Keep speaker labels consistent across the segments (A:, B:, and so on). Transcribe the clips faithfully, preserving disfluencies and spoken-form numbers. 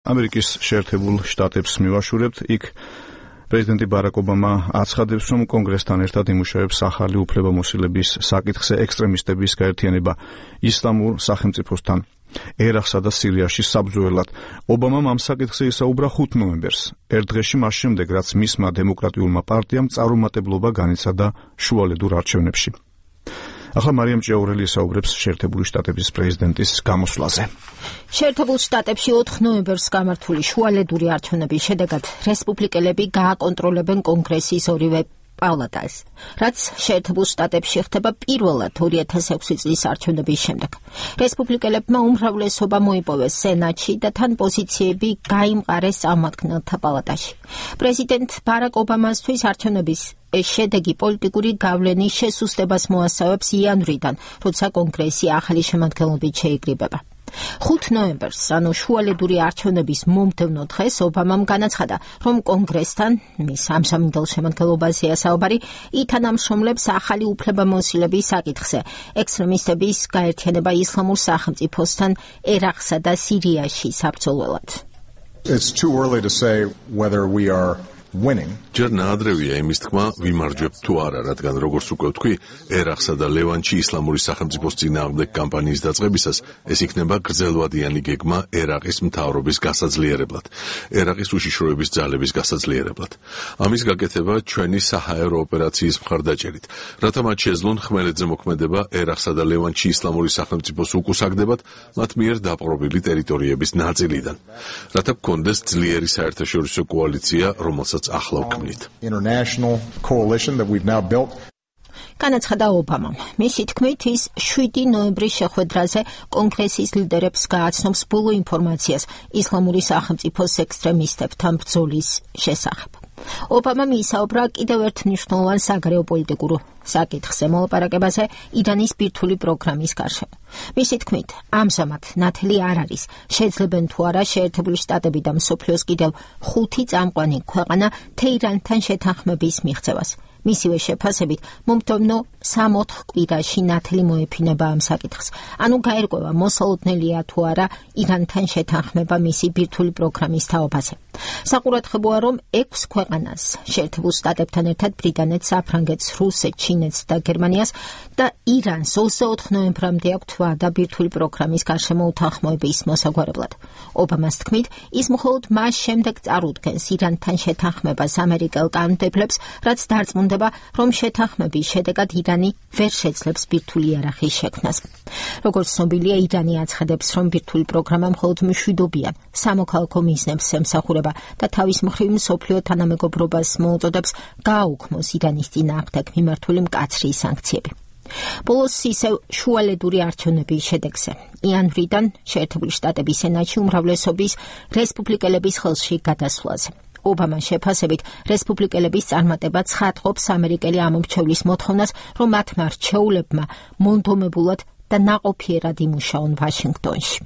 A: ამერიკის შეერთებულ შტატებს მივაშურებთ, იქ პრეზიდენტი ბარაკ ობამა აცხადებს, რომ კონგრესთან ერთად იმუშავებს ახალი უფლებამოსილების საკითხზე ექსტრემისტების გაერთიანება ისლამურ სახელმწიფოსთან ერაყსა და სირიაში საბრძოლველად. ობამამ ამ საკითხზე ისაუბრა ხუთ ნოემბერს, ერთ დღეში მას შემდეგ, რაც მისმა დემოკრატიულმა პარტიამ წარუმატებლობა განიცადა შუალედურ არჩევნებში. ახლა მარიამ ჭიაურელი ისაუბრებს შეერთებული შტატების პრეზიდენტის გამოსვლაზე.
B: შეერთებულ შტატებში ოთხ ნოემბერს გამართული შუალედური არჩევნების შედეგად რესპუბლიკელები გააკონტროლებენ კონგრესის ორივე პალატას, რაც შეერთებულ შტატებში ხდება პირველად ორი ათას ექვსი წლის არჩევნების შემდეგ. რესპუბლიკელებმა უმრავლესობა მოიპოვეს სენატში და თან პოზიციები გაიმყარეს წარმომადგენელთა პალატაში. პრეზიდენტ ბარაკ ობამასთვის არჩევნების შედეგი პოლიტიკური გავლენის შესუსტებას მოასწავებს იანვრიდან, როცა კონგრესი ახალი შემადგენლობით შეიკრიბება. ხუთ ნოემბერს, ანუ შუალედური არჩევნების მომდევნო დღეს, ობამამ განაცხადა, რომ კონგრესთან, მის ამჟამინდელ შემადგენლობაზეა საუბარი, ითანამშრომლებს ახალი უფლებამოსილების საკითხზე, ექსტრემისტების გაერთიანება ისლამურ სახელმწიფოსთან ერაყსა და სირიაში საბრძოლველად.
C: It's too early to say whether we are winning.
D: ჯერ ნაადრევია იმის თქმა, ვიმარჯვებთ თუ არა, რადგან როგორც უკვე ვთქვი, ერაყსა და ლევანტში ისლამური სახელმწიფოს წინააღმდეგ კამპანიის დაწყებისას ეს იქნება გრძელვადიანი გეგმა ერაყის მთავრობის გასაძლიერებლად, ერაყის უშიშროების ძალების გასაძლიერებლად. ამის გაკეთება ჩვენი საჰაერო ოპერაციის მხარდაჭერით, რათა მათ შეძლონ ხმელეთზე მოქმედება ერაყსა და ლევანტში ისლამური სახელმწიფოს უკუსაგდებად მათ მიერ დაპყრობილი ტერიტორიების ნაწილიდან, რათა გქონდეს ძლიერი საერთაშორისო კოალიცია, რომელსაც ახლა ვქმნით.
C: International coalition that we've now built.
B: განაცხადა ობამამ. მისი თქმით, ის შვიდი ნოემბრის შეხვედრაზე კონგრესის ლიდერებს გააცნობს ბოლო ინფორმაციას ისლამური სახელმწიფოს ექსტრემისტებთან ბრძოლის შესახებ. ობამამ ისაუბრა კიდევ ერთ მნიშვნელოვან საგარეო პოლიტიკურ საკითხზე მოლაპარაკებაზე ირანის ბირთვული პროგრამის გარშემო. მისი თქმით, ამჟამად ნათელი არ არის, შეძლებენ თუ არა შეერთებული შტატები და მსოფლიოს კიდევ ხუთი წამყვანი ქვეყანა თეირანთან შეთანხმების მიღწევას. მისივე შეფასებით, მომდევნო სამ-ოთხ კვირაში ნათელი მოეფინება ამ საკითხს. ანუ გაერკვევა მოსალოდნელია თუ არა ირანთან შეთანხმება მისი ბირთვული პროგრამის თაობაზე. საყურადღებოა, რომ ექვს ქვეყანას, შეერთებულ შტატებთან ერთად ბრიტანეთს, საფრანგეთს, რუსეთს, ჩინეთს და გერმანიას და ირანს ოცდაოთხ ნოემბრამდე აქვთ ვადა ბირთვული პროგრამის გარშემო უთანხმოების მოსაგვარებლად. ობამას თქმით, ის მხოლოდ მას შემდეგ წარუდგენს ირანთან შეთანხმებას ამერიკელ კანონმდებლებს, რაც დარწმუნდება, რომ შეთანხმების შედეგად ირანი ვერ შეძლებს ბირთვული იარაღის შექმნას. როგორც ცნობილია, ირანი აცხადებს, რომ ბირთვული პროგრამა მხოლოდ მშვიდობიან სამოქალაქო მიზნებს ემსახურება და თავის მხრივ მსოფლიო თანამეგობრობას მოუწოდებს გააუქმოს ირანის წინააღმდეგ მიმართული მკაცრი სანქციები. ბოლოს ისევ შუალედური არჩევნების შედეგზე. იანვრიდან შეერთებული შტატების სენატში უმრავლესობის რესპუბლიკელების ხელში გადასვლაზე. ობამას შეფასებით, რესპუბლიკელების წარმატება ცხადყოფს ამერიკელი ამომრჩევლის მოთხოვნას, რომ მათმა რჩეულებმა მონდომებულად და ნაყოფიერად იმუშაონ ვაშინგტონში.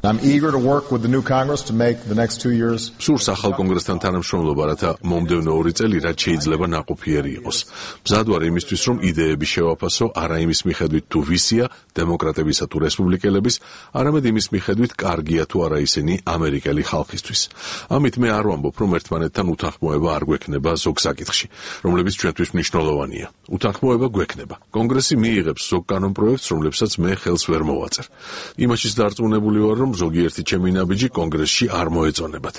C: I'm eager to work with the new Congress to make the next two years.
D: სურს ახალ კონგრესთან თანამშრომლობა, რათა მომდევნო ორი წელი რაც შეიძლება ნაყოფიერი იყოს. მზად ვარ იმისთვის, რომ იდეები შევაფასო არა იმის მიხედვით თუ ვისია, დემოკრატებისა თუ რესპუბლიკელების, არამედ იმის მიხედვით კარგია თუ არა ისინი ამერიკელი ხალხისთვის. ამით მე არ ვამბობ, რომ ერთმანეთთან უთანხმოება არ გვექნება ზოგ საკითხში, რომლებიც ჩვენთვის მნიშვნელოვანია. უთანხმოება გვექნება. კონგრესი მიიღებს ზოგ კანონპროექტს, რომლებსაც მე ხელს ვერ მოვაწერ. იმაშიც დარწმუნებული ვარ, რომ ზოგიერთი ჩემი ნაბიჯი კონგრესში არ მოეწონებათ.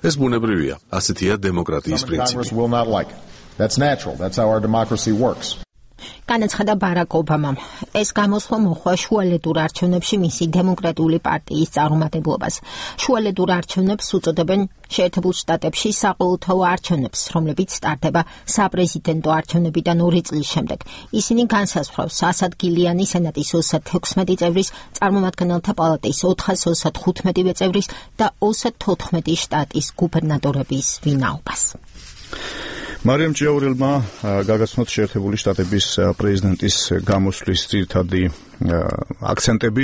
D: ეს ბუნებრივია, ასეთია დემოკრატიის პრინციპი.
C: That's natural. That's how our democracy works.
B: განაცხადა ბარაკ ობამამ. ეს გამოსვლა მოხდა შუალედურ არჩევნებში მისი დემოკრატიული პარტიის წარუმატებლობას. შუალედურ არჩევნებს უწოდებენ შეერთებულ შტატებში საყოველთაო არჩევნებს, რომლებიც სტარტდება საპრეზიდენტო არჩევნებიდან ორი წლის შემდეგ. ისინი განსაზღვრავს ასადგილიანი სენატის ოცდათექვსმეტი წევრის, წარმომადგენელთა პალატის ოთხას ოცდათხუთმეტი წევრის და ოცდათოთხმეტი შტატის გუბერნატორების ვინაობას.
A: მარიამ ჭიაურელმა გაგაცნოთ შეერთებული შტატების პრეზიდენტის გამოსვლის ძირითადი აქცენტები.